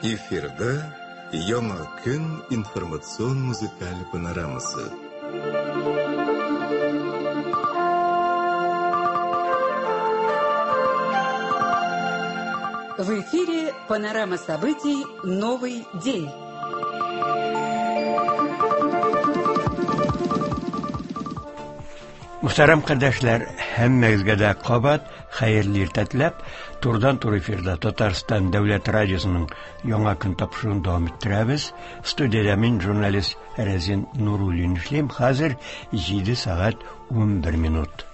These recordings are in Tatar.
Эфирда Яңа көн информацион музыкаль панорамасы. В эфире панорама событий «Новый день». Мөхтәрәм кардәшләр, һәммәгезгә дә кабат хәерле иртә теләп, турыдан-туры эфирда Татарстан дәүләт радиосының Яңа көн тапшыруын дәвам иттерәбез. Студиядә мин, журналист Рәзин Нуруллин эшлим. Хәзер 7 сәгать 11 минут.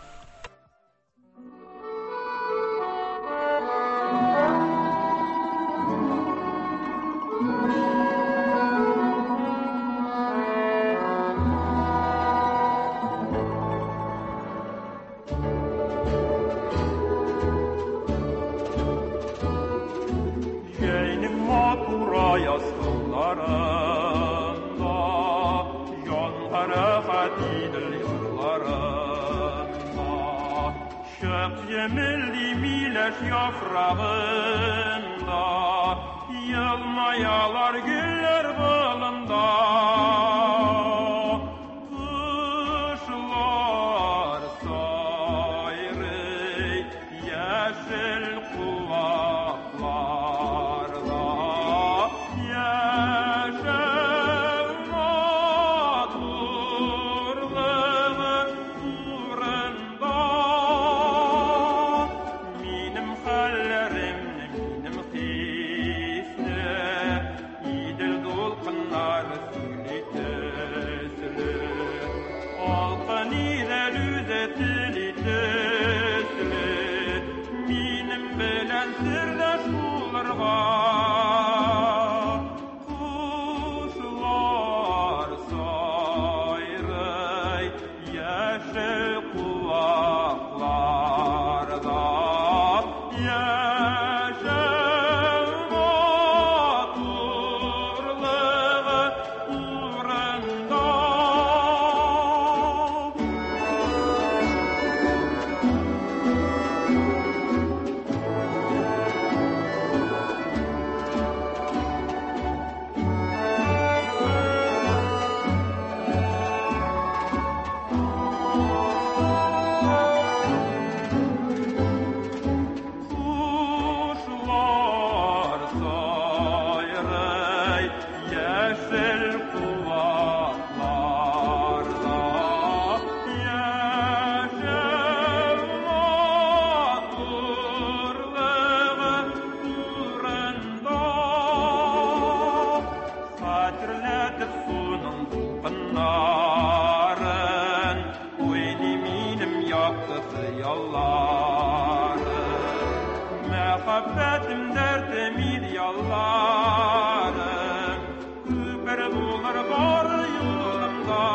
Җәйнең матур аяз көннәрендә, Җанга рәхәт Идел ярларында. Чык җемелди миләш яфрагында, Елмаялар гөлләр болында. Кошлар сайрый яшел куакларда, Яшәү матурлыгы турында. Минем хәлләремне, минем хисне Идел дулкыннары сөйли төсле. Алкын Идел үзе тели төсле, Минем белән сердәш булырга. Кошлар сайрый яшел куакларда, Яшәү матурлыгы урында. Кошлар сайрый яшел куакларда, Яшәү матурлыгы турында. Хәтерләтеп суның дулкыннарын, Уйный минем якты хыялларым. Мәхәббәтем, дәртем, идеалларым, Күпер булыр бар юлымда.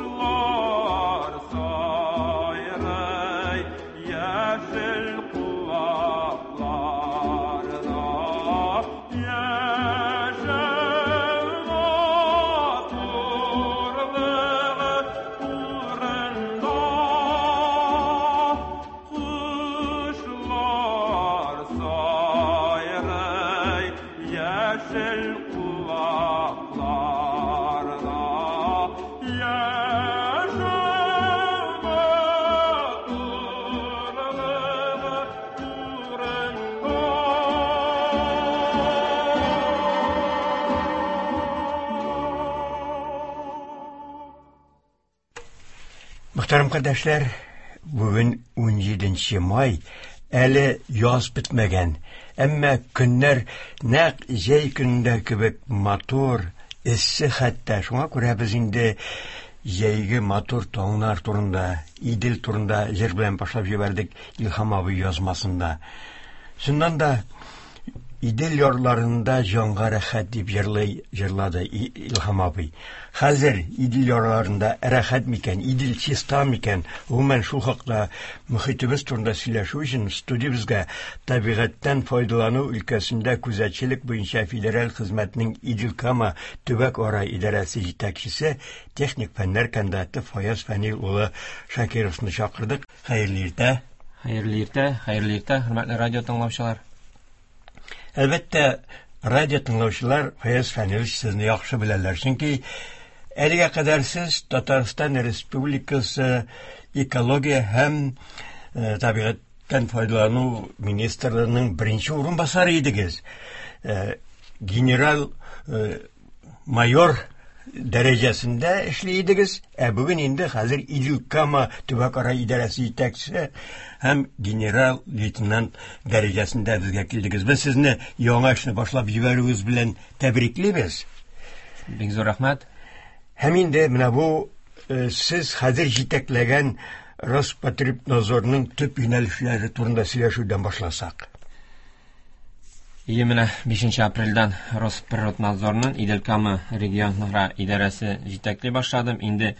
Кошлар сайрый яшел куакларда, Яшәү матурлыгы турында. Кошлар сайрый яшел куакларда, Яшәү матурлыгы турында. Мөхтәрәм кардәшләр, бүген 17 май, әле яз бетмәгән, әмма көннәр нәкъ җәй көнендә кебек матур, эссе хәтта. Шуңа күрә без инде җәйге матур таңнар турында, Идел турында җыр белән башлап җибәрдек Илһам абый язмасында. Чыннан да, Идел ярларында җанга рәхәт дип җырлый, җырлады Илһам абый. Хәзер Идел ярларында рәхәт микән, Идел чиста микән? Гомумән, шул хакта мөхитебез турында сөйләшү өчен студиябезгә табигатьтән файдалану өлкәсендә күзәтчелек буенча федераль хезмәтнең Идел-Кама төбәк-ара идарәсе җитәкчесе, техник фәннәр кандидаты Фаяз Фәнил улы Шакировны чакырдык. Хәерле иртә. Хәерле иртә, хәерле иртә, хөрмәтле радио тыңлаучылар. Әлбәттә, радио тыңлаучылар Фаяз Фәнилович сезне яхшы беләләр, чөнки әлегә кадәр сез Татарстан Республикасы экология һәм табигатьтән файдалану министрлыгының беренче урынбасары идегез. Генерал майор дәрәҗәсендә эшли идегез, ә бүген инде хәзер Идел-Кама төбәкара идарәсе җитәкчесе һәм генерал-лейтенант дәрәҗәсендә безгә килдегез. Без сезне яңа эшне башлап җибәрүегез белән тәбриклибез. Бик зур рәхмәт. Һәм инде менә бу сез хәзер җитәкләгән Роспотребнадзорның төп юнәлешләре турында сөйләшүдән башласак. Ие, менә 5 апрельдән Росприроднадзорның Идел-Кама регионара идарәсе җитәкли башладым. Инде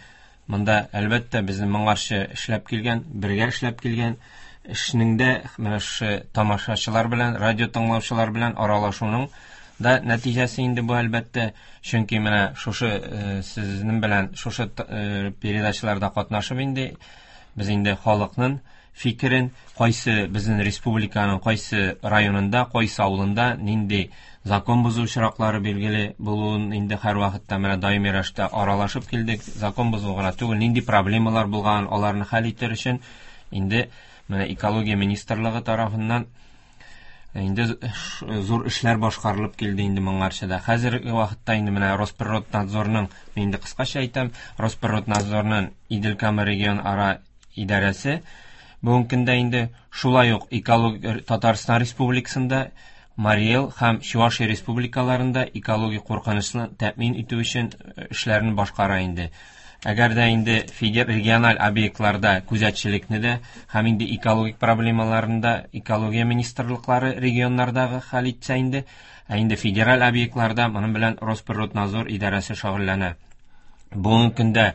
монда, әлбәттә, безнең моңарчы эшләп килгән, бергә эшләп килгән эшнең дә менә шушы тамашачылар белән, радио тыңлаучылар белән аралашуның да нәтиҗәсе инде бу, әлбәттә, чөнки менә шушы сезнең белән шушы передачаларда катнашып инде без инде халыкның фикерен, кайсы безнең республиканың кайсы районында, кайсы авылында нинди закон бозу очраклары билгеле булуын инде һәр вакытта менә даими рәвештә аралашып килдек. Закон бозу гына түгел, нинди проблемалар булган, аларны хәл итәр өчен инде менә экология министрлыгы тарафыннан инде зур эшләр башкарылып килде инде моңарчы да. Хәзерге вакытта инде менә Росприроднадзорның, мин инде кыскача әйтәм, Росприроднадзорның Идел-Кама регион ара идарәсе бүгенге көндә инде шулай ук экология Татарстан Республикасында, Марий Эл һәм Чувашия республикаларында экологик куркынычны тәэмин итү өчен эшләрен башкара инде. Әгәр дә инде региональ объектларда күзәтчелекне дә һәм инде экологик проблемаларын да экология министрлыклары регионнардагы хәл итсә инде, ә инде федераль объектларда моның белән Росприроднадзор идарәсе шөгыльләнә. Бүгенге көндә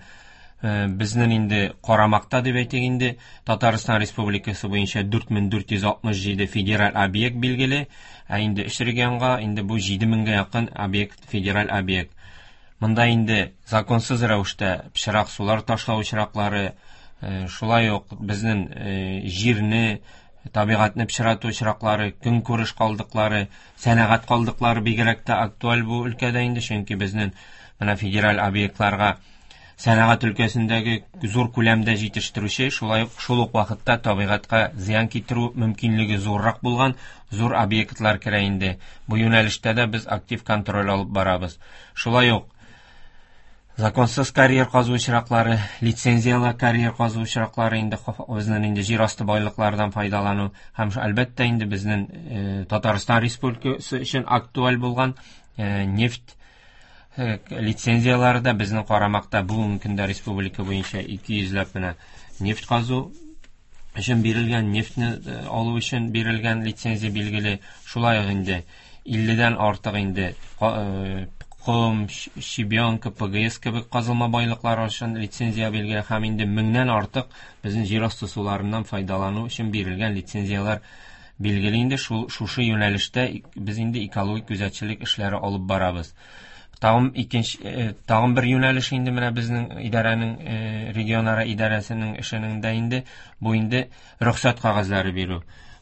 безнең инде карамакта дип әйтик инде Татарстан Республикасы буенча 4467 федераль объект билгеле, ә инде өч регионга инде бу 7000гә якын объект, федераль объект. Монда инде законсыз рәвештә пычрак сулар ташлау очраклары, шулай ук безнең җирне, табигатьне пычрату очраклары, көнкүреш калдыклары, сәнәгать калдыклары бигрәк тә актуаль бу өлкәдә инде, чөнки безнең менә федераль объектларга сәнәгать өлкәсендәге зур күләмдә җитештерүче, шулай ук шул ук вакытта табигатькә зыян китерү мөмкинлеге зуррак булган зур объектлар керә инде. Бу юнәлештә дә без актив контроль алып барабыз. Шулай ук законсыз карьер казу очраклары, лицензиялы карьер казу очраклары инде безнең инде җир асты байлыклардан файдалану һәм әлбәттә инде безнең Татарстан Республикасы өчен актуаль булган нефть лицензиялары да безнең карамакта. Бүгенге көндә республика буенча ике йөзләп менә нефть казу өчен бирелгән, нефтьне алу өчен бирелгән лицензия билгеле. Шулай ук инде илледән артык инде ком, щебенка, ПГС кебек казылма байлыклар өчен лицензия билгеле һәм инде меңнән артык безнең җир асты суларыннан файдалану өчен бирелгән лицензияләр билгеле инде. Шушы юнәлештә без инде экологик күзәтчелек эшләре алып барабыз. Тагын тагын бер юнәлеш инде менә безнең идарәнең, регионара идарәсенең эшенең дә инде бу инде рөхсәт кәгазьләре бирү.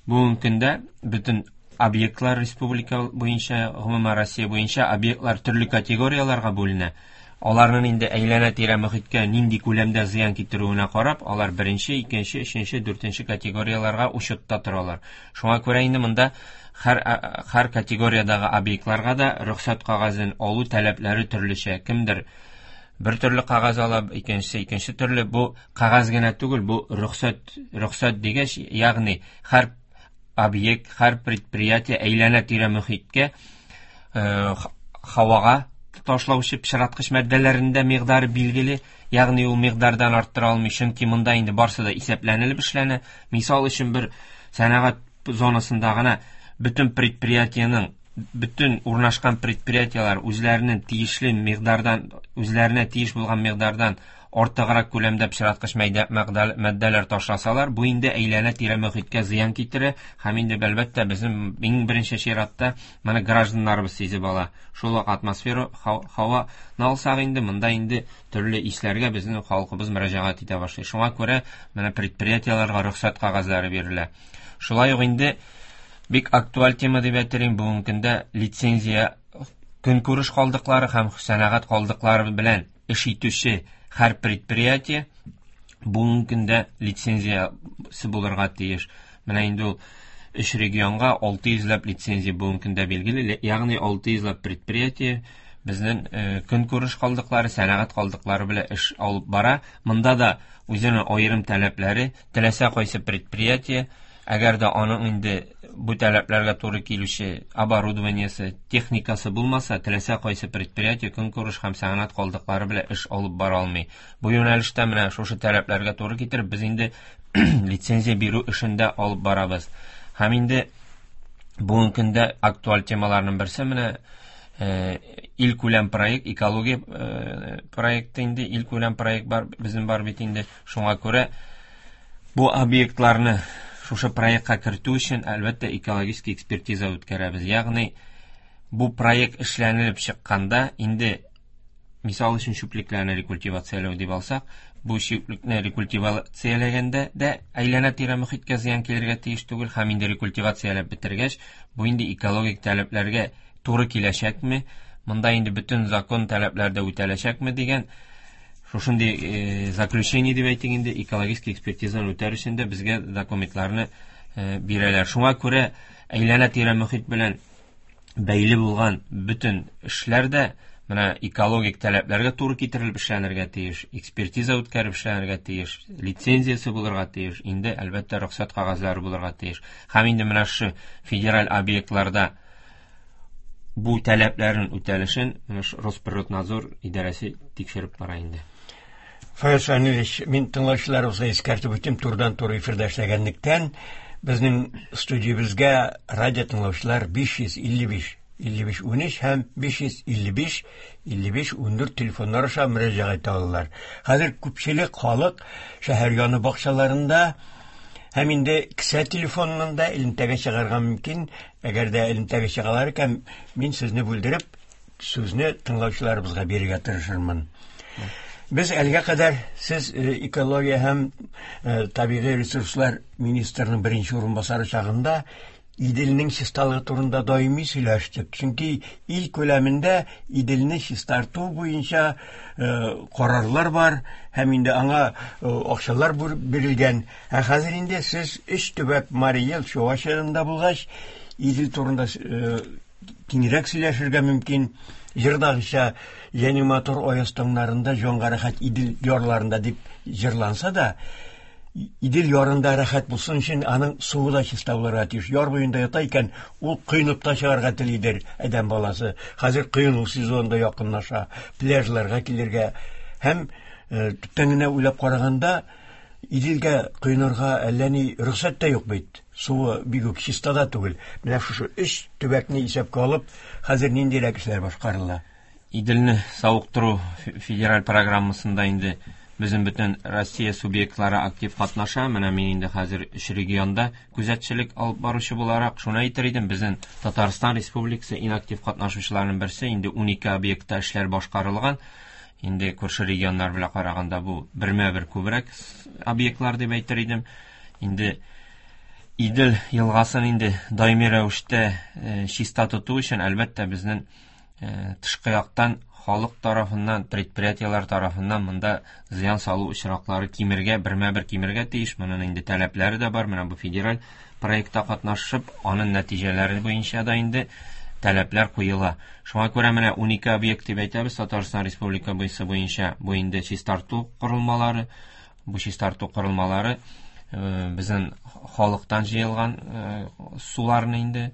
Бүгенге көндә бөтен объектлар республика буенча, гомумән Россия буенча объектлар төрле категорияләргә бүленә. Аларның инде әйләнә-тирә мөхиткә нинди күләмдә зыян китерүенә карап, алар беренче, икенче, өченче, дүртенче категорияләргә учетта торалар. Шуңа күрә инде монда һәр категориядәге объектларга да рөхсәт кәгазен алу таләпләре төрлечә. Кемдер бер төрле кәгазь ала, икенчесе икенче төрле. Бу кәгазь генә түгел, бу рөхсәт дигәч, ягъни һәр объект, һәр предприятие әйләнә-тирә мөхиткә, һавага ташлаучы пычраткыч матдәләрендә микъдары билгеле, ягъни ул микъдардан арттыра алмый, чөнки монда инде барсы да исәпләнелеп эшләнә. Мисал өчен, бер сәнәгать зонасында гына бөтен предприятиенең, бөтен урнашкан предприятиеләр үзләренең тиешле микъдардан, үзләренә тиеш булган микъдардан артыграк күләмдә пычраткыч матдәләр ташласалар, бу инде әйләнә-тирә мөхиткә зыян китерә һәм инде әлбәттә безнең иң беренче чиратта моны гражданнарыбыз сизеп ала. Шул ук атмосфера һаваны алсак инде, монда инде төрле исләргә безнең халкыбыз мөрәҗәгать итә башлый. Шуңа күрә менә предприятиеләргә рөхсәт кәгазьләре бирелә. Шулай ук инде Бик актуаль тема дип әйтер идем. Бүгенге көндә лицензия көнкүреш калдыклары һәм сәнәгать калдыклары белән эш итүче һәр предприятие бүгенге көндә лицензиясе булырга тиеш. Менә инде ул өч регионга 600 ләп лицензия бүгенге көндә билгеле, ягъни 600 ләп предприятие безнең көнкүреш калдыклары, сәнәгать калдыклары белән эш алып бара. Монда да үзенең аерым таләпләре, теләсә кайсы предприятие, әгәр дә аның инде бу таләпләргә туры килүче оборудованиесе, техникасы булмаса, теләсә кайсы предприятие көнкүреш һәм сәнәгать калдыклары белән эш алып бара алмый. Бу юнәлештә менә шушы таләпләргә туры китереп, без инде лицензия бирү эшен дә алып барабыз. Һәм инде бүгенге көндә актуаль темаларның берсе менә илкүләм проект, экология проекты инде, илкүләм проект бар, безнең бар бит инде. Шуңа күрә бу объектларны шушы проектка кертү өчен, әлбәттә, экологический экспертиза үткәрәбез. Ягъни бу проект эшләнелеп чыкканда инде, мисал өчен, чүплекләрне рекультивацияләү дип алсак, бу чүплекне рекультивацияләгәндә дә әйләнә-тирә мөхиткә зыян килергә тиеш түгел, һәм инде рекультивацияләп бетергәч, бу инде экологик таләпләргә туры киләчәкме, монда инде бөтен закон таләпләре дә үтәләчәкме дигән шушындый заключение дип әйтик инде, экологический экспертизаны үтәр өчен дә безгә документларны бирәләр. Шуңа күрә әйләнә-тирә мөхит белән бәйле булган бөтен эшләр дә менә экологик таләпләргә туры китерелеп эшләнергә тиеш, экспертиза үткәреп эшләнергә тиеш, лицензиясе булырга тиеш, инде әлбәттә рөхсәт кәгазьләре булырга тиеш. Һәм инде менә шушы федераль объектларда бу таләпләрнең үтәлешен менә Росприроднадзор идарәсе тикшереп бара инде. Фаяз Фәнилович, мин тыңлаучыларыбызга искәртеп үтим, турыдан-туры эфирда эшләгәнлектән, безнең студиябезгә радио тыңлаучылар 555 55 13 һәм 555 55 14 телефоннар аша мөрәҗәгать итә алалар. Хәзер күпчелек халык шәһәр яны бакчаларында һәм инде кесә телефоныннан да элемтәгә чыгарга мөмкин. Әгәр дә элемтәгә чыгалар икән, мин сезне бүлдереп, сүзне тыңлаучыларыбызга бирергә тырышырмын. Без әлегә кадәр сез экология һәм табигый ресурслар министрының беренче урынбасары чагында Иделнең чисталыгы турында даими сөйләштек. Чөнки ил күләмендә Иделне чистарту буенча карарлар бар һәм инде аңа акчалар бирелгән. Ә хәзер инде сез өч төбәк Марий Эл, Чувашиядә булгач, Идел турында киңрәк сөйләшергә мөмкин. Җырдагыча "Җәйнең матур аяз таңнарында җанга рәхәт Идел ярларында" дип җырланса да, Идел ярында рәхәт булсын өчен аның суы да чиста булырга тиеш. Яр буенда ята икән, ул коенып та чыгарга телидер адәм баласы. Хәзер коену сезоны да якынлаша, пляжларга килергә һәм төптән генә уйлап караганда, Иделгә коенырга әллә ни рөхсәт тә юк бит. Суы бик үк чиста да түгел. Менә шушы өч төбәкне исәпкә алып, хәзер ниндирәк эшләр башкарыла? Иделне савыктыру федераль программасында инде безнең бөтен Россия субъектлары актив катнаша. Менә мин инде хәзер өч регионда күзәтчелек алып баручы буларак шуны әйтер идем, безнең Татарстан Республикасы иң актив катнашучыларның берсе, инде 12 объектта эшләр башкарылган. Инде күрше регионнар белән караганда бу бермә-бер күбрәк объектлар дип әйтер идем. Инде Идел елгасын инде даими рәвештә чиста тоту өчен, әлбәттә, безнең тышкы яктан халык тарафыннан, предприятиеләр тарафыннан монда зыян салу очраклары кимергә, бермә-бер кимергә тиеш. Моның инде таләпләре дә бар. Менә бу федераль проектта катнашып, аның нәтиҗәләре буенча да инде таләпләр куела. Шуңа күрә менә 12 объект дип әйтәбез Татарстан Республика буенча. Бу инде чистарту корылмалары, бу чистарту корылмалары безнең халыктан җыелган суларны инде,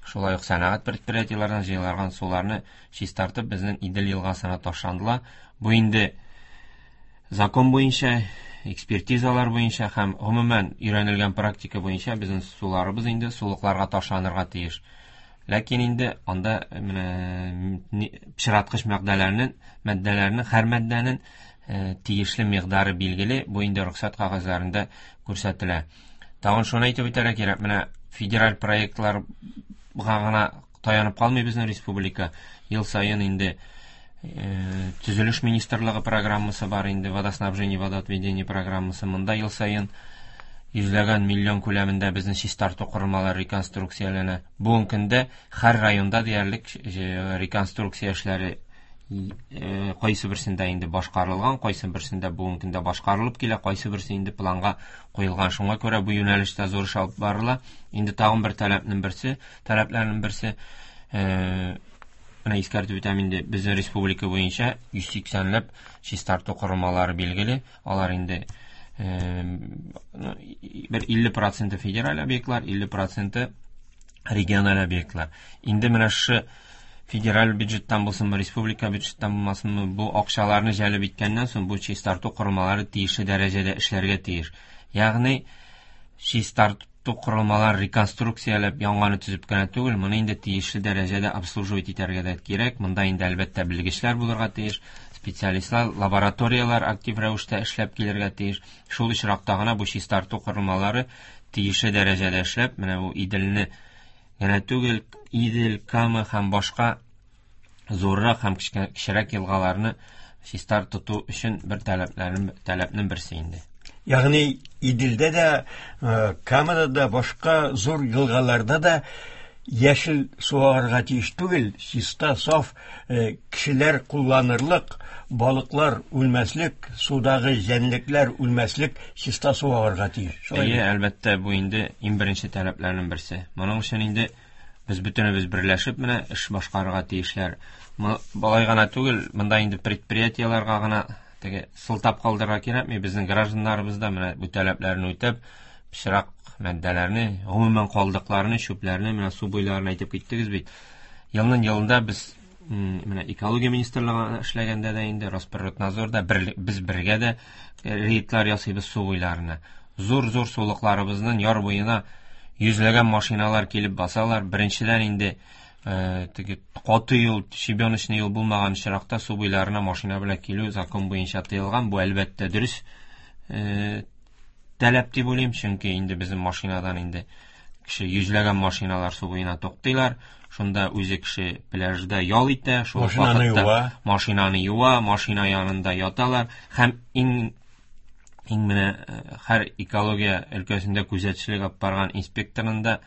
шулай ук сәнәгать предприятиеләреннән җыелган суларны чистартып безнең Идел елгасына ташландыла. Бу инде закон буенча, экспертизалар буенча һәм гомумән өйрәнелгән практика буенча безнең суларыбыз инде сулыкларга ташланырга тиеш. Ләкин инде анда менә пычраткыч матдәләрнең һәр матдәнең тиешле микъдары билгеле, бу инде рөхсәт кәгазьләрендә күрсәтелә. Тагын шуны әйтеп үтәргә кирәк, менә федераль проектларга гына таянып калмый безнең республика. Ел саен инде төзелеш министрлыгы программасы бар инде, водоснабжение, водоотведение программасы. Монда ел саен Йөзләгән миллион күләмендә безнең чистарту корылмалары реконструкцияләнә. Бүгенге көндә һәр районда диярлек реконструкция эшләре кайсы берсендә инде башкарылган, кайсы берсендә бүгенге көндә башкарылып килә, кайсы берсе инде планга куелган. Шуңа күрә бу юнәлештә зур эш алып барыла. Инде тагын бер таләпнең берсе, таләпләрнең берсе, менә искәртеп үтәм инде, безнең республика буенча 180ләп чистарту корылмалары билгеле. Алар инде бер 50% федераль объектлар, 50% региональ объектлар. Инде менә шушы федераль бюджеттан булсынмы, республика бюджеттан булмасынмы, бу акчаларны җәлеп иткәннән соң бу чистарту корылмалары тиешле дәрәҗәдә эшләргә тиеш. Ягъни чистарту корылмалар реконструкцияләп яңаны төзеп кенә түгел, моны инде тиешле дәрәҗәдә обслуживать итәргә дә кирәк. Монда инде әлбәттә белгечләр булырга тиеш, специалистлар, лабораторияләр актив рәвештә эшләп килергә тиеш. Шул очракта гына бу чистарту корылмалары тиешле дәрәҗәдә эшләп, менә бу Иделне генә түгел, Идел, Кама һәм башка зуррак һәм кечерәк елгаларны чистар тоту өчен бер таләпнең берсе инде. Ягъни Иделдә дә, Камада да, башка зур елгаларда да яшел су агарга тиеш түгел, чиста, саф, кешеләр кулланырлык, балыклар үлмәслек, судагы җәнлекләр үлмәслек чиста су агарга тиеш. Шулай Әйе, әлбәттә, бу инде иң беренче таләпләрнең берсе. Моның өчен инде без бөтенебез берләшеп менә эш башкарырга тиешләр. Болай гына түгел, монда инде предприятиеләргә гына теге сылтап калдырырга кирәкми. Безнең гражданнарыбыз да менә бу таләпләрне үтәп, пычрак матдәләрне, гомумән калдыкларны, чүпләрне менә су буйларына әйтеп киттегез бит. Елның елында без менә экология министрлыгы эшләгәндә дә инде Росприроднадзорда без бергә дә рейдлар ясыйбыз су буйларына. Зур-зур сулыкларыбызның яр буена йөзләгән машиналар килеп басалар. Беренчедән инде теге каты юл, щебеночный юл булмаган очракта су буйларына машина белән килү закон буенча тыелган. Бу әлбәттә дөрес таләп дип уйлыйм, чөнки инде безнең машинадан инде кеше йөзләгән машиналар су буена туктыйлар. Шунда үзе кеше пляжда ял итә, шул Машинаны вакытта юа. машинаны юа, машина янында яталар. Һәм иң менә һәр экология өлкәсендә күзәтчелек алып барган инспекторның да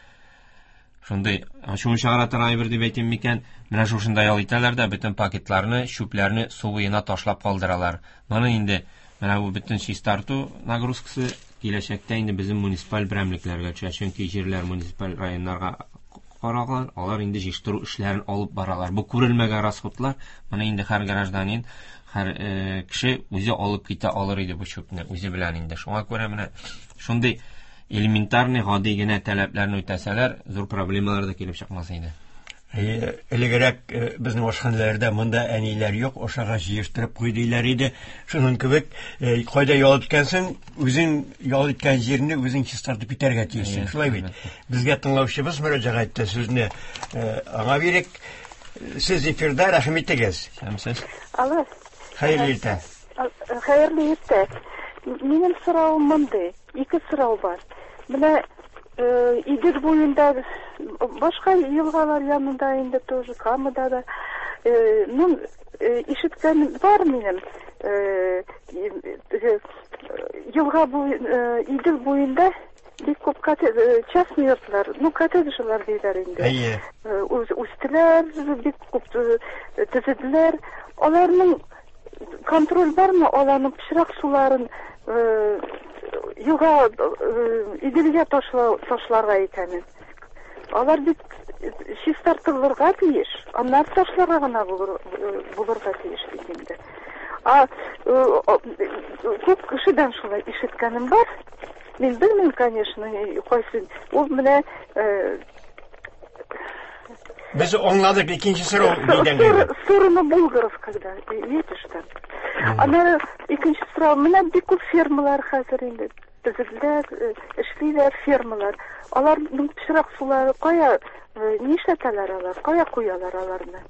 шундый ачуын чыгара торган әйбер дип әйтим микән, менә шушында ял итәләр дә бөтен пакетларны, чүпләрне су буена ташлап калдыралар. Моны инде менә бу бөтен чистарту нагрузкасы киләчәктә инде безнең муниципаль берәмлекләргә төшә, чөнки җирләр муниципаль районнарга караган, алар инде җыештыру эшләрен алып баралар. Бу күрелмәгән расходлар, моны инде һәр гражданин, һәр кеше үзе алып китә алыр иде бу чүпне үзе белән инде. Шуңа күрә менә шундый элементарный гади генә таләпләрне үтәсәләр, зур проблемалар да килеп чыкмас иде. Элегрәк безнең ашханәләрдә монда әниләр юк, ашага җыештырып куй диләр иде. Шуның кебек, кайда ял иткәнсең, үзең ял иткән җирне үзең чистартып китәргә тиешсең. Шулай бит. Безгә тыңлаучыбыз мөрәҗәгать итте, сүзне аңа бирик. Сез эфирда, рәхим итегез. Сәмсез. Алло. Хәерле иртә. Хәерле иртә. Минем соравым мондый, ике сорау бар. Менә Идел буенда, башка елгалар янында инде тоже, Камада да. Ну, ишеткән бар минем. Елга буе, Идел буенда бик күп частный йортлар, ну, коттеджлар диләр инде. Әйе. Үстеләр, бик күп төзеделәр. Аларның контроль бармы? Аларның пычрак суларын елга, Иделгә ташларга икәнен. Алар бит чистартылырга тиеш, аннары ташларга гына булырга тиеш бит инде. А күп кешедән шулай ишеткәнем бар. Мин белмим, конечно, кайсы. Ул менә Без аңладык, икенче сорау нидән килде? Сторону Булгаров, когда едешь там. Аннары икенче сорау, менә бик күп фермалар хәзер инде төзеделәр, эшлиләр фермалар. Аларның пычрак сулары кая, нишләтәләр алар, кая куялар аларны?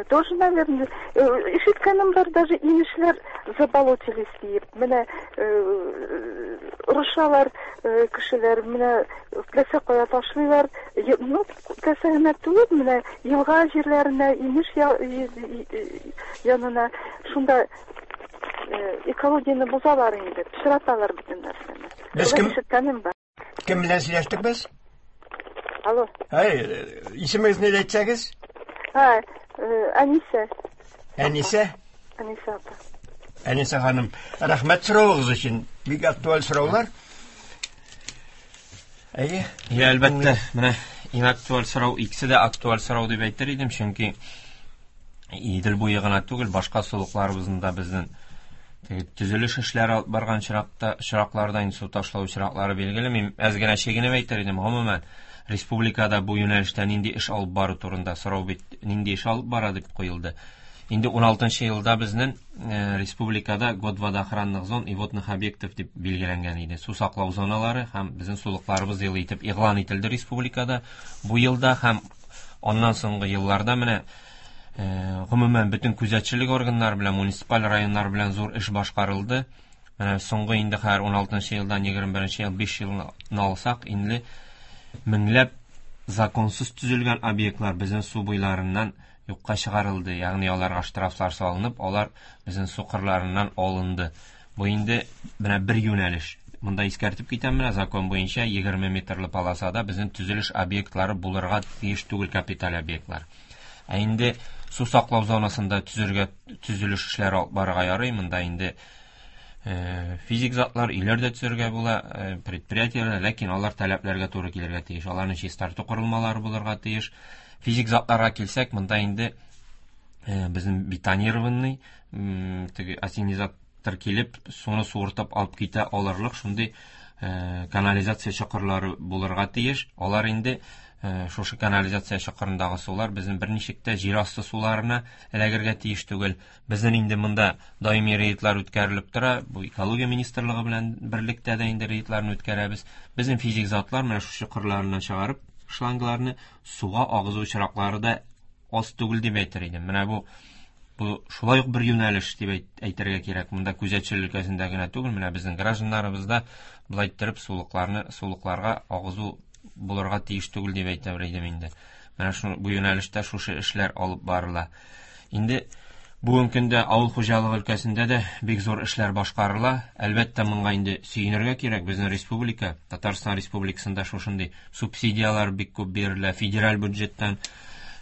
Тоже, наверное, ишеткәнем бар, даже инешләр заболотились диеп. Менә орышалар кешеләр, менә теләсә кая ташлыйлар. Ну, теләсә генә түгел, менә елга җирләренә, инеш янына. Шунда экологияне бозалар инде, пычраталар бөтен нәрсәне. Без кем- Ишеткәнем бар. Кем белән сөйләштек без? Алло. Әй, исемегезне дә әйтсәгез? Һа, Әнисә. Әнисә. Әнисә апа. Әнисә ханым, рәхмәт соравыгыз өчен. Бик актуаль сораулар. Әйе. Я, әлбәттә, менә иң актуаль сорау, икесе дә актуаль сорау дип әйтер идем, чөнки Идел буе гына түгел, башка сулыкларыбызның да безнең теге төзелеш эшләре алып барган чиракта, чиракларда инде су ташлау чираклары билгеле. Мин әз генә чигенеп әйтер идем, гомумән, республикада бу юнәлештә нинди эш алып бару турында сорау бит, нинди эш алып бара дип куелды. Инде 16 елда безнең республикада год водоохранных зон и водных объектов дип билгеләнгән иде. Су саклау зоналары һәм безнең сулыкларыбыз елы итеп игълан ителде республикада бу елда һәм аннан соңгы елларда менә гомумән бөтен күзәтчелек органнары белән, муниципаль районнар белән зур эш башкарылды. Менә соңгы инде хәзер 16 елдан 21 ел 5 елны алсак, инде меңләп законсыз төзелгән объектлар безнең су буйларыннан юкка чыгарылды. Ягъни аларга штрафлар салынып, алар безнең су кырларыннан алынды. Бу инде менә бер юнәлеш. Монда искәртеп китәм, менә закон буенча 20 метрлы полосада безнең төзелеш объектлары булырга тиеш түгел, капиталь объектлар. Ә инде су саклау зонасында төзелеш эшләре алып барырга ярый. Монда инде физик затлар, өйләр дә төзергә була, предприятиеләр, ләкин алар таләпләргә туры килергә тиеш. Аларның чистарту корылмалары булырга тиеш. Физик затларга килсәк, монда инде безнең бетонированный, теге ассенизатор килеп, суны суыртып алып китә алырлык шундый канализация чокырлары булырга тиеш. Алар инде шушы канализация чокырындагы сулар безнең берничек тә җир асты суларына эләгергә тиеш түгел. Безнең инде монда даими рейдлар үткәрелеп тора. Бу экология министрлыгы белән берлектә дә инде рейдларны үткәрәбез. Безнең физик затлар менә шушы чокырларыннан чыгарып шлангларны суга агызу очраклары да аз түгел дип әйтер идем. Менә бу шулай ук бер юнәлеш дип әйтергә кирәк. Монда күзәтчелек өлкәсендә генә түгел, менә безнең гражданнарыбыз да былай иттереп сулыкларга агызу булырга тиеш түгел дип әйтер идем инде. Менә бу юнәлештә шушы эшләр алып барыла. Инде бүгенге көндә авыл хуҗалыгы өлкәсендә дә бик зур эшләр башкарыла. Әлбәттә, моңа инде сөенергә кирәк. Безнең республика, Татарстан Республикасында шушындый субсидияләр бик күп бирелә. Федераль бюджеттан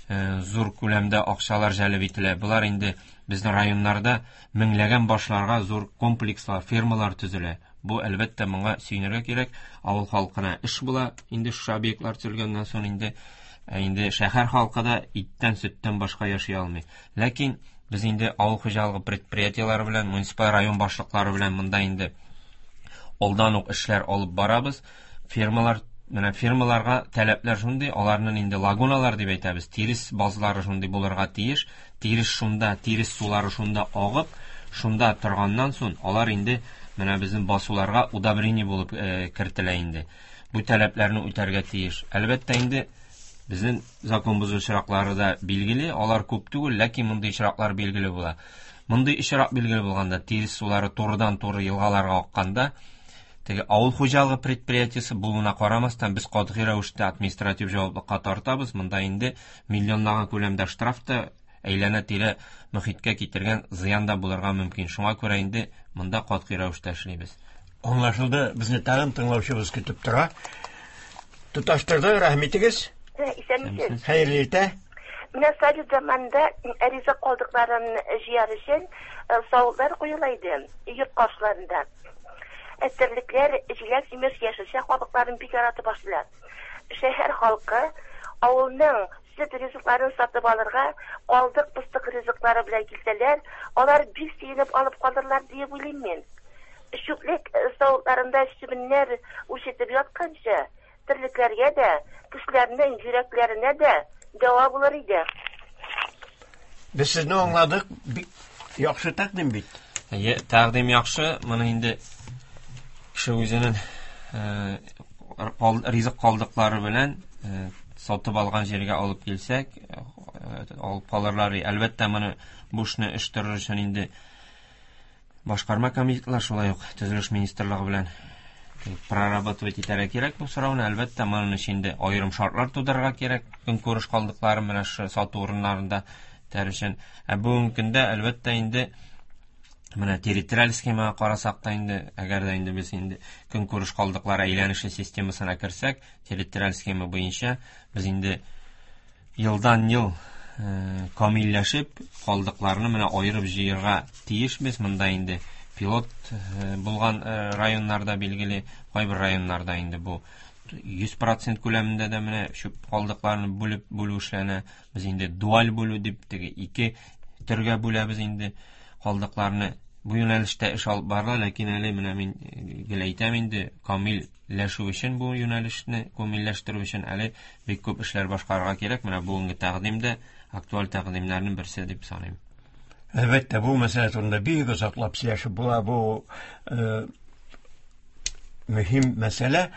зур күләмдә акчалар җәлеп ителә. Болар инде безнең районнарда меңләгән башларга зур комплекслар, фермалар төзелә. Бу әлбәттә моңа сөенергә кирәк. Авыл халкына эш була. Инде шушы объектлар төзелгәннән соң инде шәһәр халкы да иттән, сөттән башка яши алмый. Ләкин без инде авыл хуҗалыгы предприятиеләре белән, муниципаль район башлыклары белән монда инде алдан ук эшләр алып барабыз. Фермалар, менә фермаларга таләпләр шундый, аларның инде лагуналар дип әйтәбез, тирес базлары шундый булырга тиеш. Тирес шунда, тирес сулары шунда агып, шунда торганнан соң алар инде менә безнең басуларга удобрение булып кертелә инде. Бу таләпләрне үтәргә тиеш. Әлбәттә инде безнең закон бозу очраклары да билгеле, алар күп түгел, ләкин мондый очраклар билгеле була. Мондый очрак билгеле булганда, тирес сулары турыдан-туры елгаларга акканда, теге авыл хуҗалыгы предприятиесе булуына карамастан, без катгый рәвештә административ җаваплылыкка тартабыз. Монда инде миллионлаган күләмдә штраф та, әйләнә-тирә мөхиткә китергән зыян да булырга мөмкин. Шуңа күрә инде монда катгый рәвештә эшлибез. Аңлашылды, безне тагын тыңлаучыбыз көтеп тора. Тоташтырды, рәхмәт итегез. Исәнмесез. Хәерле иртә. Менә совет заманында ризык калдыкларын җыяр өчен савытлар куела иде йорт каршыларында. Терлекләр җиләк-җимеш, яшелчә кабыкларын бик яратып ашыйлар. Шәһәр халкы авылның сөт ризыкларын сатып алырга калдык-пыстык ризыклары белән килсәләр, алар бик сөенеп алып калырлар диеп уйлыйм мин. Чүплек савытларында чебеннәр үрчетеп ятканчы, терлекләргә дә, кешеләрнең йөрәкләренә дә дәва булыр иде. Без сезне аңладык, бик яхшы тәкъдим бит. Әйе, тәкъдим яхшы. Моны инде кеше үзенең ризык калдыклары белән сатып алган җиргә алып килсәк, алып калырлар. Әлбәттә, моны бу эшне оештырыр өчен инде башкарма комитетлар, шулай ук төзелеш министрлыгы белән прорабатывать итәргә кирәк бу сорауны. Әлбәттә, моның өчен инде аерым шартлар тудырырга кирәк. Көнкүреш калдыклары менә шушы сату урыннарында тәр өчен. Ә бүгенге көндә әлбәттә инде Менә территориаль схемага карасак та инде, әгәр дә инде без инде көнкүреш калдыклары әйләнеше системасына керсәк, территориаль схема буенча без инде елдан-ел камилләшеп, калдыкларны менә аерып җыярга тиешбез. Монда инде пилот булган районнарда билгеле, кайбер районнарда инде бу 100% күләмендә дә менә чүп калдыкларны бүлеп бүлү эшләнә. Без инде дуаль бүлү дип теге ике төргә бүләбез инде калдыкларны. Бу юнәлештә эш алып барыла, ләкин әле менә мин гел әйтәм инде, камилләшү өчен бу юнәлешне камилләштерү өчен әле бик күп эшләр башкарырга кирәк. Менә бүгенге тәкъдим дә актуаль тәкъдимнәрнең берсе дип саныйм. Әлбәттә, бу мәсьәлә турында бик озаклап сөйләшеп була. Бу мөһим мәсьәлә.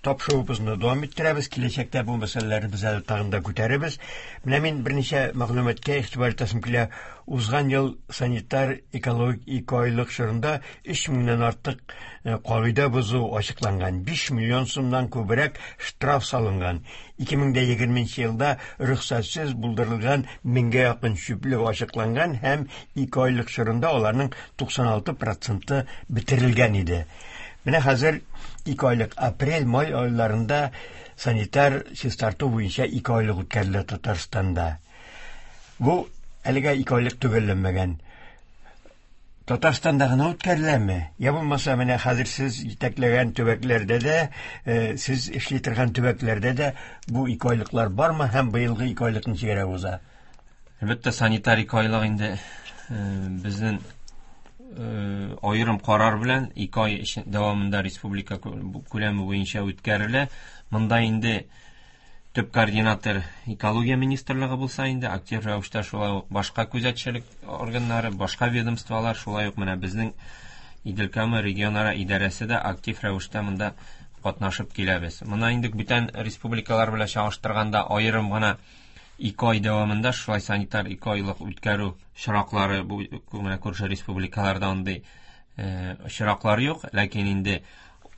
Тапшыруыбызны дәвам иттерәбез. Киләчәктә бу мәсьәләләрне без әле тагын да күтәрербез. Менә мин берничә мәгълүматка игътибар итәсем килә. Узган ел санитар экологик икеайлык чорында 3 меңнән артык кагыйдә бозу ачыкланган, 5 миллион сумнан күбрәк штраф салынган. 2020 елда рөхсәтсез булдырылган меңгә якын чүплек ачыкланган һәм икеайлык чорында аларның 96% бетерелгән иде. Менә хәзер икеайлык апрель-май айларында санитар чистарту буенча икеайлык үткәрелә Татарстанда. Бу әлегә икеайлык төгәлләнмәгән. Татарстанда гына үткәреләме? Я булмаса, менә хәзер сез җитәкләгән төбәкләрдә дә, сез эшли торган төбәкләрдә дә бу икеайлыклар бармы һәм быелгы икеайлык ничегрәк уза? Әлбәттә, санитар икеайлык инде безнең аерым карар белән 2 ай дәвамында республика күләме буенча үткәрелә. Монда инде төп координатор экология министрлыгы булса инде, актив рәвештә шулай ук башка күзәтчелек органнары, башка ведомстволар, шулай ук менә безнең Идел-Кама регионара идарәсе дә актив рәвештә монда катнашып киләбез. Моны инде бүтән республикалар белән чагыштырганда аерым гына 2 ай дәвамында шулай санитар 2 айлык үткәрү очраклары бу менә күрше республикаларда андый очраклар юк, ләкин инде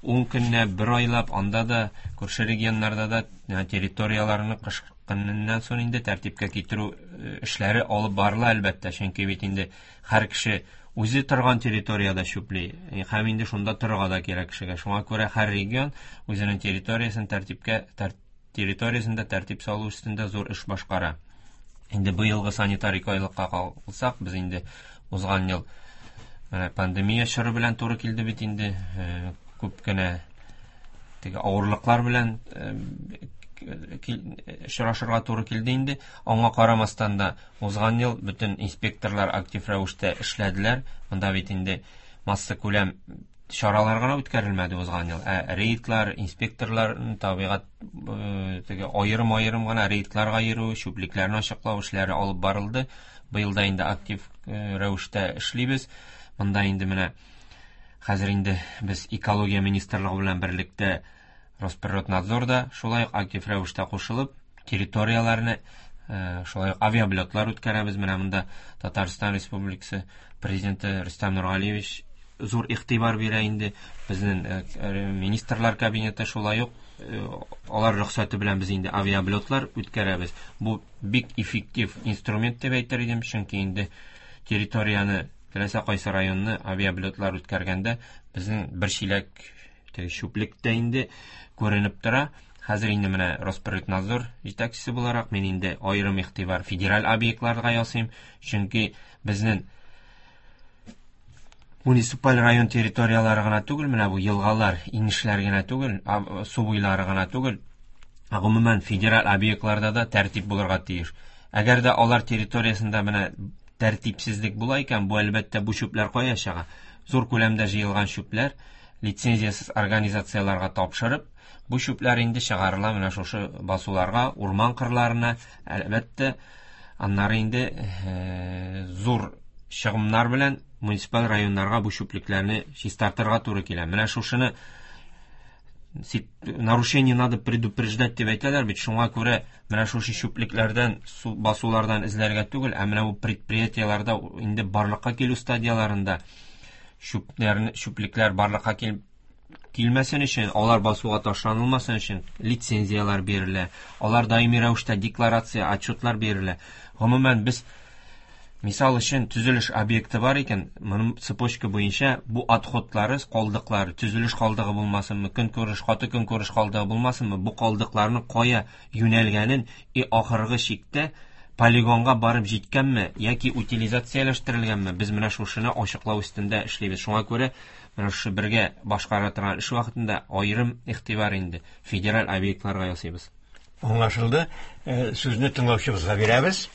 10 көннә бер айлап анда да күрше регионнарда да территорияләрне кыш көненнән соң инде тәртипкә китерү эшләре алып барыла әлбәттә, чөнки бит инде һәр кеше үзе торган территориядә чүпли һәм инде шунда торырга да кирәк кешегә. Шуңа күрә һәр регион үзенең территориясен тәртипкә территориясендә тәртип салу өстендә зур эш башкара. Инде быелгы санитар икеайлыкка калсак, без инде узган ел менә пандемия чоры белән туры килде бит инде, күп кенә теге авырлыклар белән очрашырга туры килде инде. Аңа карамастан да узган ел бөтен инспекторлар актив рәвештә эшләделәр. Монда бит инде масса күләм чаралар гына үткәрелмәде узган ел. Ә рейдлар, инспекторлар табигать теге аерым-аерым гына рейдларга йөрү, чүплекләрне ачыклау эшләре алып барылды. Быел да инде актив рәвештә эшлибез. Монда инде менә хәзер инде без экология министрлыгы белән берлектә Росприроднадзорда шулай ук актив рәвештә кушылып, территорияләрне шулай ук авиаблотлар үткәрәбез. Менә монда Татарстан Республикасы президенты Рөстәм Нургалиевич зур игътибар бирә инде. Безнең министрлар кабинеты шулай ук алар рөхсәте белән без инде авиаблотлар үткәрәбез. Бу бик эффектив инструмент дип әйтер идем, чөнки инде территорияне, теләсә кайсы районны авиаблотлар үткәргәндә безнең бер чиләк чүплек тә инде күренеп тора. Хәзер инде менә Росприроднадзор җитәкчесе буларак мин инде аерым игътибар федераль объектларга ясыйм, чөнки безнең муниципаль район территорияләре гына түгел, менә бу елгалар, инешләр генә түгел, су буйлары гына түгел, гомумән федераль объектларда да тәртип булырга тиеш. Әгәр дә алар территориясендә менә тәртипсезлек була икән, бу әлбәттә бу чүпләр кая чыга? Зур күләмдә җыелган чүпләр лицензиясез организацияләргә тапшырып, бу чүпләр инде чыгарыла менә шушы басуларга, урман кырларына, әлбәттә, аннары инде зур чыгымнар белән муниципаль районнарга бу чүплекләрне чистартырга туры килә. Менә шушыны нарушение надо предупреждать дип әйтәләр бит. Шуңа күрә менә шушы чүплекләрдән, басулардан эзләргә түгел, ә менә бу предприятиеләрдә инде барлыкка килү стадияләрендә чүплекләр барлыкка килмәсен өчен, алар басуга ташланылмасын өчен лицензияләр бирелә. Алар даими рәвештә декларация, отчетлар бирелә. Гомумән, без Мисал өчен, төзелеш объекты бар икән, моның цепочка буенча бу отходлары, калдыклары, төзелеш калдыгы булмасынмы, көнкүреш, каты көнкүреш калдыгы булмасынмы, бу калдыкларның кая юнәлгәнен и ахыргы чиктә полигонга барып җиткәнме яки утилизацияләштерелгәнме, без менә шушыны ачыклау өстендә эшлибез. Шуңа күрә менә шушы бергә башкара торган эш вакытында аерым игътибар инде федераль объектларга ясыйбыз. Аңлашылды. Сүзне тыңлаучыбызга бирәбез.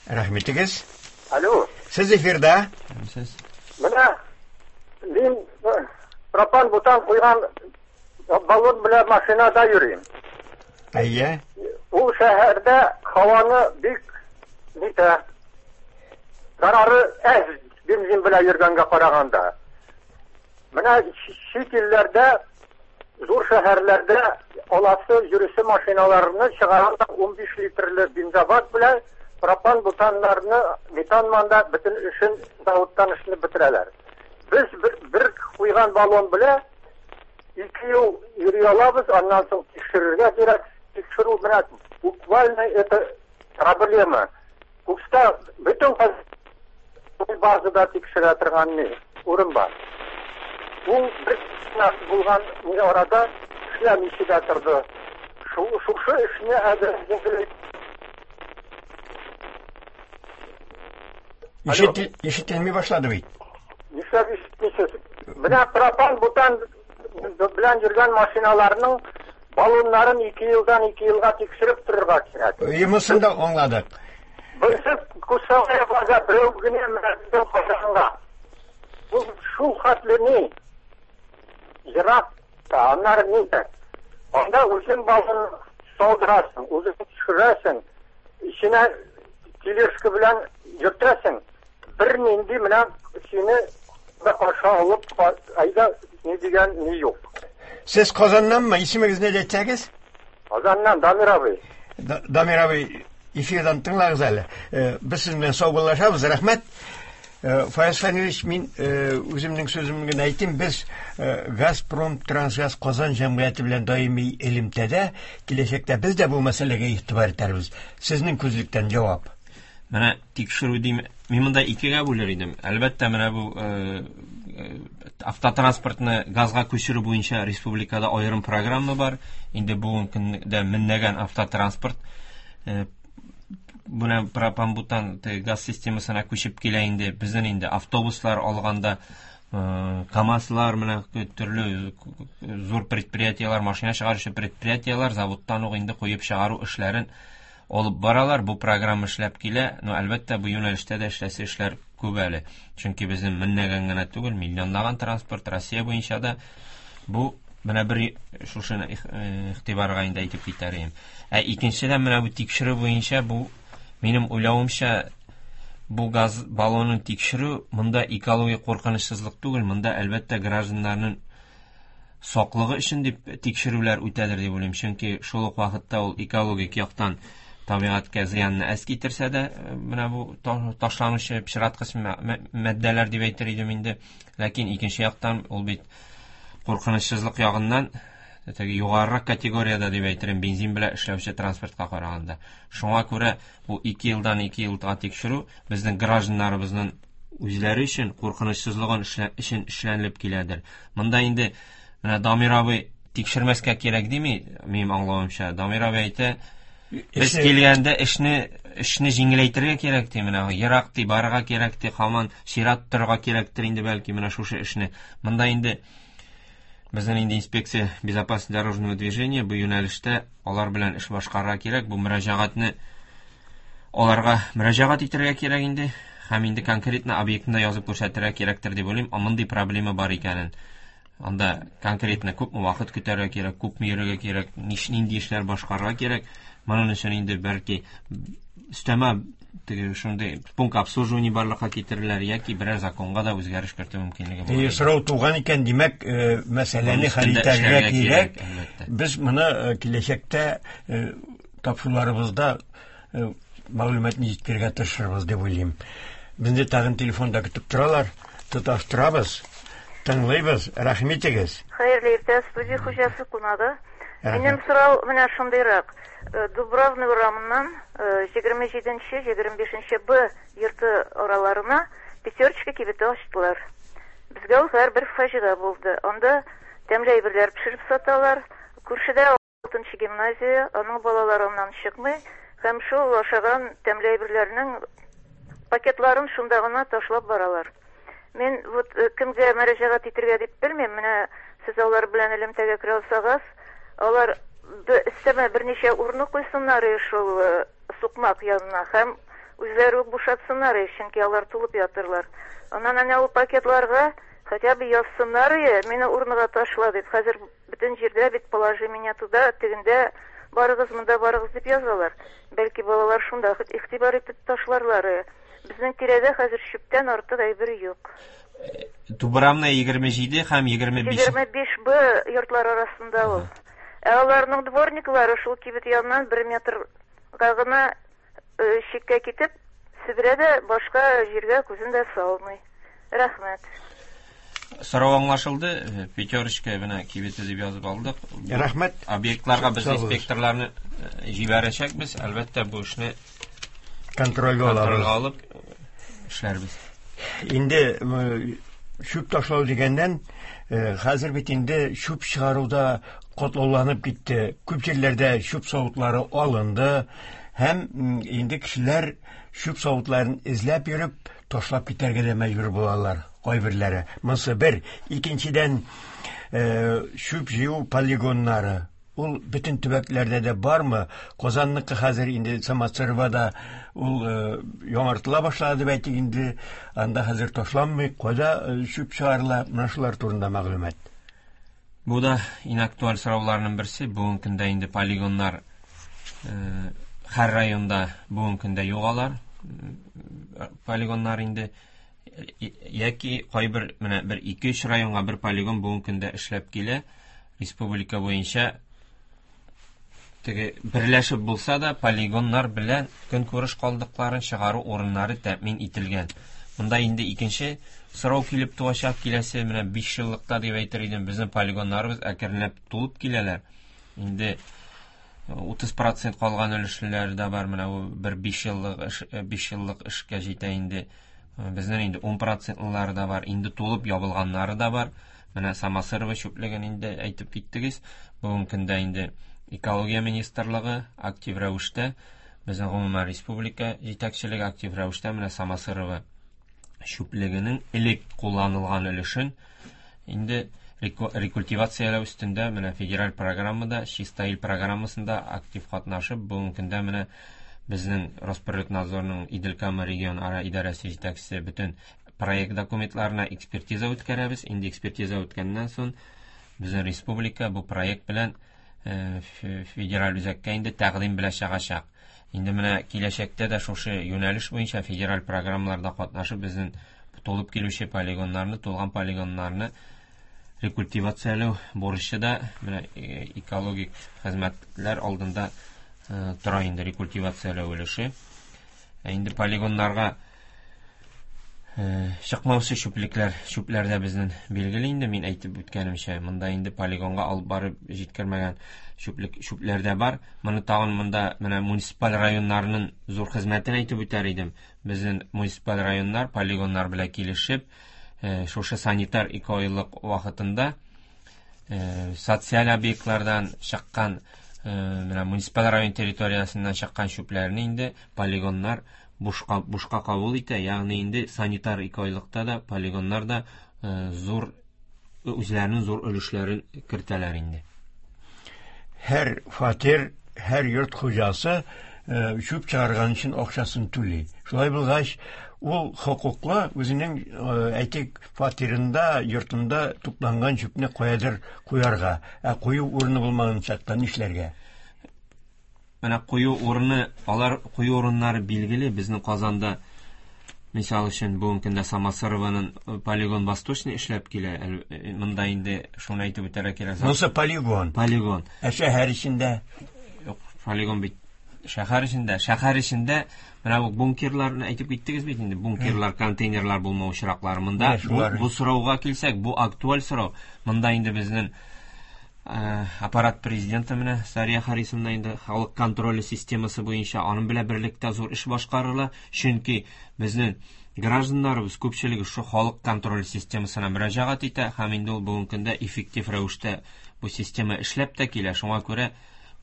Рәхмәт итегез. Алло. Сез эфирда. Сез. Менә мин пропан бутан куйган баллон белән машинада йөрим. Әйе. Ул шәһәрдә һаваны бик нитә. Зарары әз бензин белән йөргәнгә караганда. Менә чит илләрдә, зур шәһәрләрдә аласы йөрүче машиналарны чыгаралар 15 литрлы бензобак белән пропан бутаннарны метан манда бөтен эшен заводтан эшләп бетерәләр. Без бер куйган баллон белән 2 ел йөри алабыз, аннан соң тикшерергә кирәк. Тикшерү менә буквально это проблема. Кукста бөтен базада тикшерә торган ни урын бар. Ул бер булган ни арада эшләмичә дә торды. Шушы эшне әзер Ишетелми башлады бит. Нишләп ишетмисез? Менә пропан бутан белән йөргән машиналарның баллоннарын 2 елдан 2 елга тикшереп торырга кирәк. Монысын да аңладык. Берсе Кусалая база, берәү генә менә Казанга. Бу шул хәтле ни? Ерак та, аннары ни дә. Анда үзең баллон салдырасың, үзең төшерәсең, эченә тележка белән йөртәсең. Бер нинди менә сине каршы алып, әйдә, ни дигән ни юк. Сез Казаннанмы? Исемегезне әйтсәгез? Казаннан, Дамир абый. Дамир абый, эфирдан тыңлагыз әле. Без сезнең белән саубуллашабыз. Рәхмәт. Фаяз Фәнилович, мин үземнең сүземне генә әйтим. Без Газпром Трансгаз Казан җәмгыяте белән даими элемтәдә, киләчәктә без дә бу мәсьәләгә игътибар итәрбез. Сезнең күзлектән җавап. Менә тикшерү дим, мин монда икегә бүлер идем. Әлбәттә, менә бу автотранспортны газга күчерү буенча республикада аерым программа бар. Инде бүгенге көндә меңләгән автотранспорт менә пропан-бутан газ системасына күчеп килә инде. Безнең инде автобуслар алганда, КАМАЗлар, менә төрле зур предприятиелар, машина чыгаручы предприятиелар заводтан ук инде куеп чыгару эшләрен алып баралар. Бу программа эшләп килә. Но әлбәттә, бу юнәлештә дә эшләсе эшләр күп әле. Чөнки безнең меңләгән генә түгел, миллионлаган транспорт Россия буенча да бу менә бер шушыны игътибарга инде әйтеп китәр идем. Ә икенчедән менә бу тикшерү буенча, бу минем уйлавымча, бу газ баллонын тикшерү монда экологик куркынычсызлык түгел, монда әлбәттә гражданнарның саклыгы өчен дип тикшерүләр үтәдер дип уйлыйм. Чөнки шул ук вакытта ул экологик яктан табигатькә зыянны әз китерсә дә, менә бу ташланучы пычраткыч матдәләр дип әйтер идем инде. Ләкин икенче яктан ул бит куркынычсызлык ягыннан теге югарырак категориядә дип әйтерем, бензин белән эшләүче транспортка караганда. Шуңа күрә бу 2 елдан 2 елга тикшерү безнең гражданнарыбызның үзләре өчен куркынычсызлыгын өчен эшләнелеп киләдер. Монда инде менә Дамир абый тикшермәскә кирәк дими, минем аңлавымча. Дамир абый әйтә, без килгәндә эшне җиңеләйтергә кирәк ди, менә ерак ди, барырга кирәк ди, һаман чират торырга кирәктер инде бәлки менә шушы эшне. Монда инде безнең инде инспекция безопасности дорожного движения бу юнәлештә алар белән эш башкарырга кирәк. Бу мөрәҗәгатьне аларга мөрәҗәгать итәргә кирәк инде һәм инде конкретно объектында язып күрсәтергә кирәктер дип уйлыйм. Мондый проблема бар икәнен. Анда конкретно күпме вакыт көтәргә кирәк, күпме йөрергә кирәк, нинди эшләр башкарырга кирәк. Моның өчен инде бәлки өстәмә теге шундый пункт обслуживания барлыкка китерерләр яки берәр законга да үзгәреш кертү мөмкинлеге булыр. Сорау туган икән, димәк, мәсьәләне хәл итәргә кирәк. Без моны киләчәктә тапшыруларыбызда мәгълүматны җиткерергә тырышырбыз дип уйлыйм. Безне тагын телефонда көтеп торалар, тоташтырабыз, тыңлыйбыз. Рәхим итегез. Хәерле иртә, студия хуҗасы кунагы. Минем сорау менә шундыйрак. Дубравный урамыннан 27-25 Б йорты араларына Пятерочка кибете ачтылар. Безгә ул һәрбер фаҗига булды. Анда тәмле әйберләр пешереп саталар. Күршедә 6 гимназия, аның балалары аннан чыкмый һәм шул ашаган тәмле әйберләрнең пакетларын шунда гына ташлап баралар. Мин вот кемгә мөрәҗәгать итергә дип белмим. Менә сез алар белән элемтәгә керә алсагыз, алар өстәмә берничә урны куйсыннар шул сукмак янына һәм үзләре үк бушатсыннар, чөнки алар тулып ятырлар. Аннан әнә ул пакетларга хотя бы язсыннар, мине урныга ташла дип. Хәзер бөтен җирдә бит положи меня туда, тегендә барыгыз, монда барыгыз дип язалар. Бәлки балалар шунда игътибар итеп ташларлар. Безнең тирәдә хәзер чүптән артык әйбер юк. Дубравная 27 һәм 25. 25 Б йортлар арасында ул. Ә аларның дворниклары шул кибет яныннан 1 метрга гына читкә китеп, себерә дә башка җиргә күзен дә салмый. Рәхмәт. Сорау аңлашылды. Пятерочка менә кибете дип язып алдык. Рәхмәт. Объектларга без инспекторларны җибәрәчәкбез. Әлбәттә, бу эшне контрольгә алып эшләрбез. Инде чүп ташлау дигәннән, хәзер бит инде чүп чыгаруда котлауланып китте. Күп җирләрдә чүп савытлары алынды һәм инде кешеләр чүп савытларын эзләп йөреп ташлап китәргә дә мәҗбүр булалар кайберләре. Монысы бер. Икенчедән, чүп җыю полигоннары. Ул бөтен төбәкләрдә дә бармы? Казанныкы хәзер инде Самосыровада ул яңартыла башлады дип әйтик инде. Анда хәзер ташланмый, кайда чүп чыгарыла? Менә шулар турында мәгълүмат. Бу да иң актуаль сорауларның берсе. Бүгенге көндә инде полигоннар һәр районда бүгенге көндә юк алар. Полигоннар инде яки кайбер менә бер 2-3 районга бер полигон бүгенге көндә эшләп килә. Республика буенча теге берләшеп булса да полигоннар белән көнкүреш калдыкларын чыгару урыннары тәэмин ителгән. Монда инде икенче сорау килеп туачак. Киләсе менә 5 еллыкта дип әйтер идем, безнең полигоннарыбыз әкренләп тулып киләләр. Инде 30% калган өлешләр дә бар. Менә бу бер 5 еллык эш, 5 еллык эшкә җитә инде. Безнең инде 10%лары да бар, инде тулып ябылганнары да бар. Менә Самосырова чүплеген инде әйтеп киттегез. Бүгенге көндә инде Экология министрлыгы актив рәвештә, безнең гомумән республика җитәкчелеге актив рәвештә менә Самосырова чүплегенең элек кулланылган өлешен инде рекультивацияләү өстендә менә федераль программада, Чиста ил программасында актив катнашып, бүгенге көндә менә безнең Росприроднадзорның Идел-Кама регионара идарәсе җитәкчесе бөтен проект документларына экспертиза үткәрәбез. Инде экспертиза үткәннән соң безнең республика бу проект белән федераль үзәккә инде тәкъдим белән чыгачак. Инде менә киләчәктә дә шушы юнәлеш буенча федераль программаларда катнашып безнең тулып килүче полигоннарны, тулган полигоннарны рекультивацияләү бурычы да менә экологик хезмәтләр алдында тора инде рекультивацияләү өлеше. Инде полигоннарга чыкмаучы чүплекләр, чүпләр дә безнең билгеле инде, мин әйтеп үткәнемчә, монда инде полигонга алып барып җиткермәгән чүплек, чүпләр дә бар. Моны тагын монда менә муниципаль районнарның зур хезмәтен әйтеп үтәр идем. Безнең муниципаль районнар полигоннар белән килешеп, шушы санитар экологик вакытында социаль объектлардан чыккан, менә муниципаль район территориясеннән чыккан чүпләрне инде полигоннар бушка кабул итә. Ягъни инде санитар экологикта да полигоннар да зур үзләренең зур өлешләрен кертәләр инде. Һәр фатир, һәр йорт хуҗасы чүп чыгарган өчен акчасын түли. Шулай булгач, ул хокуклы үзенең әйтик фатирында, йортында тупланган чүпне каядыр куярга, ә кую урыны булмаган чакта нишләргә? Менә кую урыны, алар кую урыннары билгеле. Безнең Казанда, мисал өчен, бүгенге көндә Самосырованың полигон Восточный эшләп килә. Монда инде шуны әйтеп үтәргә кирәк. Монысы полигон. Полигон. Ә шәһәр эчендә? Юк, полигон бит шәһәр эчендә. Шәһәр эчендә менә бу бункерларны әйтеп киттегез бит инде. Бункерлар, контейнерлар булмау очраклары. Монда бу сорауга килсәк, бу актуаль сорау. Монда инде безнең Аппарат президенты менә Сария Харисовна инде халык контроле системасы буенча аның белән берлектә зур эш башкарыла, чөнки безнең гражданнарыбыз күпчелеге шу халык контроле системасына мөрәҗәгать итә һәм инде ул бүгенге көндә эффектив рәвештә бу система эшләп тә килә. Шуңа күрә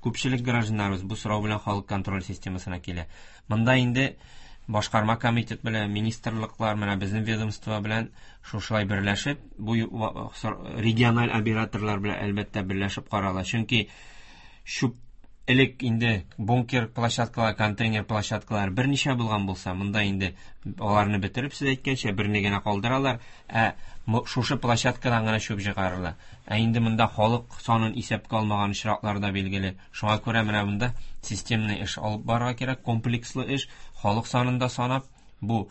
күпчелек гражданнарыбыз бу сорау белән халык контроль системасына килә. Монда инде башкарма комитет белән, министрлыклар, менә безнең ведомство белән шушылай берләшеп, бу региональ операторлар белән әлбәттә берләшеп карала. Чөнки чүп элек инде бункер площадкалар, контейнер площадкалар берничә булган булса, монда инде аларны бетереп, сез әйткәнчә, берне генә калдыралар, ә шушы площадкадан гына чүп чыгарыла. Ә инде монда халык санын исәпкә алмаган очраклар да билгеле. Шуңа күрә менә монда системный эш алып барырга кирәк, комплекслы эш, халык санын да санап, бу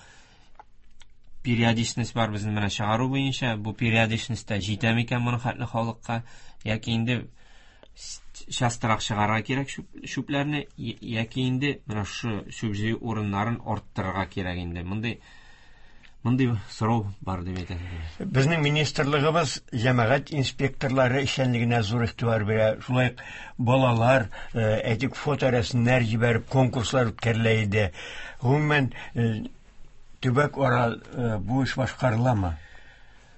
периодичность бар безнең менә чыгару буенча, бу периодичностьта җитә микән моның хәтле халыкка, яки инде частырак чыгарырга кирәк чүпләрне, яки инде менә шушы чүп җыю урыннарын арттырырга кирәк инде. Мондый сорау бар дип әйтәсем килә. Безнең министрлыгыбыз җәмәгать инспекторлары эшчәнлегенә зур игътибар бирә. Шулай ук балалар, әйтик, фоторәсемнәр җибәреп конкурслар үткәрелә иде. Гомумән, төбәк ара бу эш башкарыламы?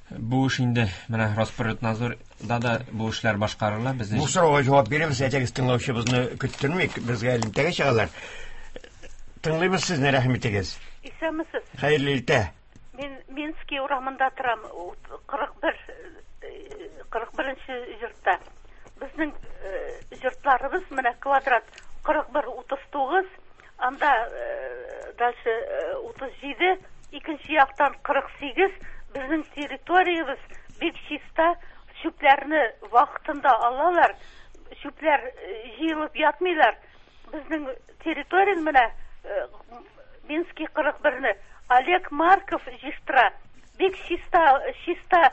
Бу эш инде менә Роспотребнадзорда да бу эшләр башкарыла. Безнең Бу сорауга җавап бирәбез, әйтегез, тыңлаучыбызны көттермик, безгә элемтәгә чыгалар. Тыңлыйбыз сезне, рәхим итегез. Исәнмесез. Хәерле иртә. Мин Минский урамында торам, 41 йортта. Безнең йортларыбыз менә квадрат 41-39, анда дальше 37, икенче яктан 48. Безнең территориябез бик чиста, чүпләрне вакытында алалар, чүпләр җыелып ятмыйлар. Безнең территорияне менә Минский 41-не Олег Марков җыештыра. Бик чиста, чиста,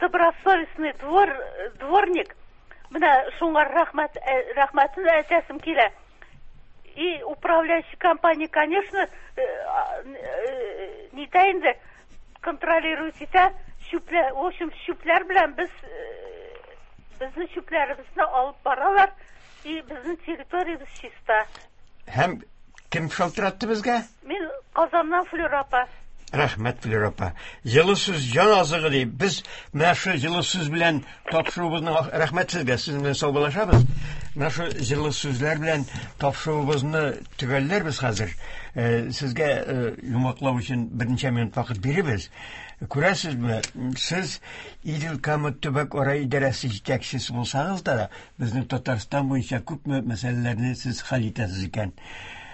добросовестный дворник. Менә шуңа рәхмәтен әйтәсем килә. И управляющая компания, конечно, не та инде контролирует итә. Чүпләр, в общем, чүпләр белән безнең чүпләребезне алып баралар, и безнең территориябез чиста. Һәм кем шалтыратты безгә? Мин Казаннан, Флюра апа. Рәхмәт, Флюра апа. Җылы сүз җан азыгы ди. Без менә шу җылы сүз белән тапшыруыбызны, рәхмәт сезгә, сезнең белән саубуллашабыз. Менә шу җылы сүзләр белән тапшыруыбызны төгәлләрбез хәзер. Сезгә йомгаклау өчен берничә минут вакыт бирербез. Күрәсезме, сез Идел Кама төбәк ара идарәсе җитәкчесе булсагыз да, безнең Татарстан буенча күпме мәсьәләләрне сез хәл итәсез икән.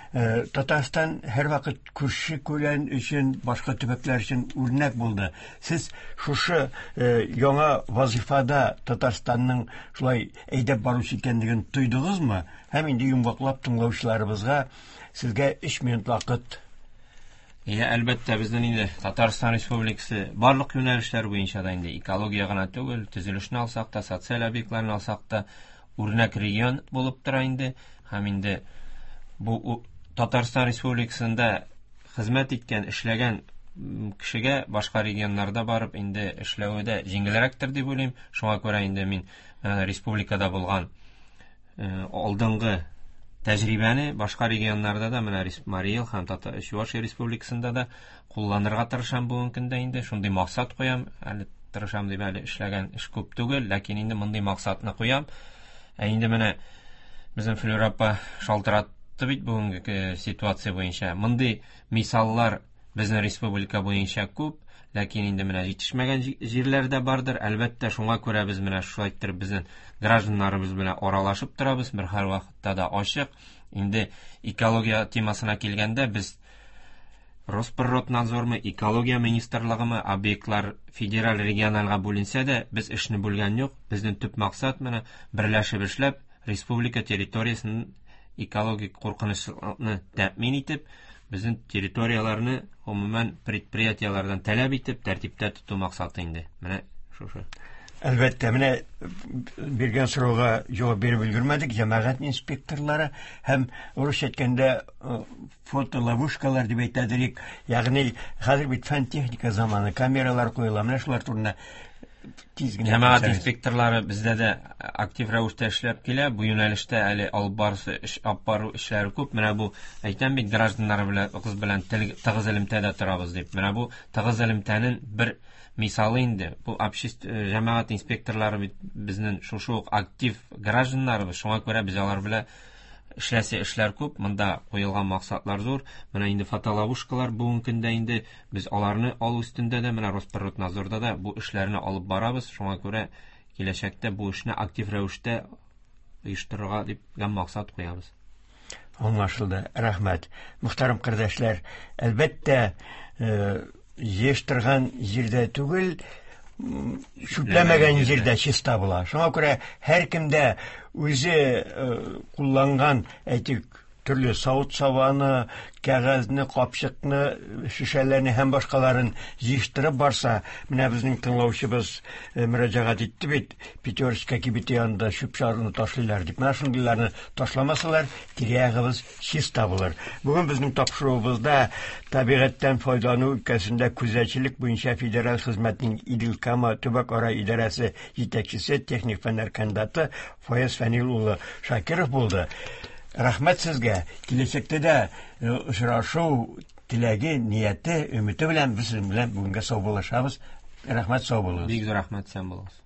Татарстан һәрвакыт күрше күлән өчен, башка төбәкләр өчен үрнәк булды. Сез шушы яңа вазифада Татарстанның шулай әйдәп баручы икәнлеген тойдыгызмы? Һәм инде йомгаклап тыңлаучыларыбызга сезгә 3 минут вакыт. Я, әлбәттә, безнең инде Татарстан Республикасы барлык юнәлешләр буенча да инде экология гына түгел, төзелешне алсак та, социаль объектларны алсак та, үрнәк регион булып тора инде. Һәм инде бу Татарстан Республикасында хезмәт иткән, эшләгән кешегә башка регионнарда барып инде эшләве дә җиңелрәктер дип уйлыйм. Шуңа күрә инде мин республикада булган алдынгы тәҗрибәне башка регионнарда да, менә Марий Эл һәм Чувашия Республикасында да кулланырга тырышам бүгенге көндә инде. Шундый максат куям, әле тырышам дип әле эшләгән эш күп түгел, ләкин инде мондый максатны куям. Ә инде менә безнең Флюра апа шалтыратты бит бүгенге ситуация буенча. Мондый мисаллар безнең республика буенча күп, ләкин инде менә җитешмәгән җирләр дә бардыр. Әлбәттә, шуңа күрә без менә шулай иттереп безнең гражданнарыбыз белән аралашып торабыз, бер һәр вакытта да ачык. Инде экология темасына килгәндә, без Росприроднадзормы, экология министрлыгымы, объектлар федераль, региональга бүленсә дә, без эшне бүлгән юк. Безнең төп максат менә берләшеп эшләп, республика территориясен экологик куркынычлыкны тәэмин итеп, безнең территорияләрне гомумән предприятиеләрдән таләп итеп, тәртиптә тоту максаты инде. Менә шушы. Әлбәттә, менә биргән сорауга җавап биреп өлгермәдек. Җәмәгать инспекторлары һәм урысча әйткәндә фотоловушкалар дип әйтәдер, ягъни хәзер бит фән техника заманы, камералар куела, менә шулар турында. Тиз генә Җәмәгать әйтсәгез. инспекторлары бездә дә актив рәвештә эшләп килә. Бу юнәлештә әле алып барысы эш алып бару эшләре күп. Менә бу әйтәм бит гражданнар белән кыз белән тыгыз элемтәдә торабыз дип. Менә бу тыгыз элемтәнең бер мисалы инде. Бу общество җәмәгать инспекторлары бит безнең шушы ук актив гражданнарыбыз. Шуңа күрә без алар белән эшләсе эшләр күп, монда куелган максатлар зур. Менә инде фотоловушкалар бүгенге көндә инде без аларны алу өстендә дә, менә Росприроднадзорда да бу эшләрне алып барабыз. Шуңа күрә киләчәктә бу эшне актив рәвештә оештырырга дип максат куябыз. Аңлашылды. Рәхмәт. Мөхтәрәм кардәшләр, әлбәттә, җыештырган җирдә түгел, чүпләмәгән җирдә чиста була. Шуңа күрә һәркем дә үзе кулланган, әйтик, төрле савыт-сабаны, кәгазьне, капчыкны, шешәләрне һәм башкаларын җыештырып барса, менә безнең тыңлаучыбыз мөрәҗәгать итте бит, Пятерочка кибете янында чүп-чарны ташлыйлар дип. Менә шундыйларны ташламасалар, тирә-ягыбыз чиста булыр. Бүген безнең тапшыруыбызда табигатьтән файдалану өлкәсендә күзәтчелек буенча федераль хезмәтнең Идел-Кама төбәк-ара идарәсе җитәкчесе, техник фәннәр кандидаты Фаяз Фәнил улы Шакиров булды. Рәхмәт сезгә. Киләчәктә дә очрашу теләге, нияте, өмете белән без сезнең белән бүгенгә саубуллашабыз. Рәхмәт, сау булыгыз. Бик зур рәхмәт, сән булыгыз.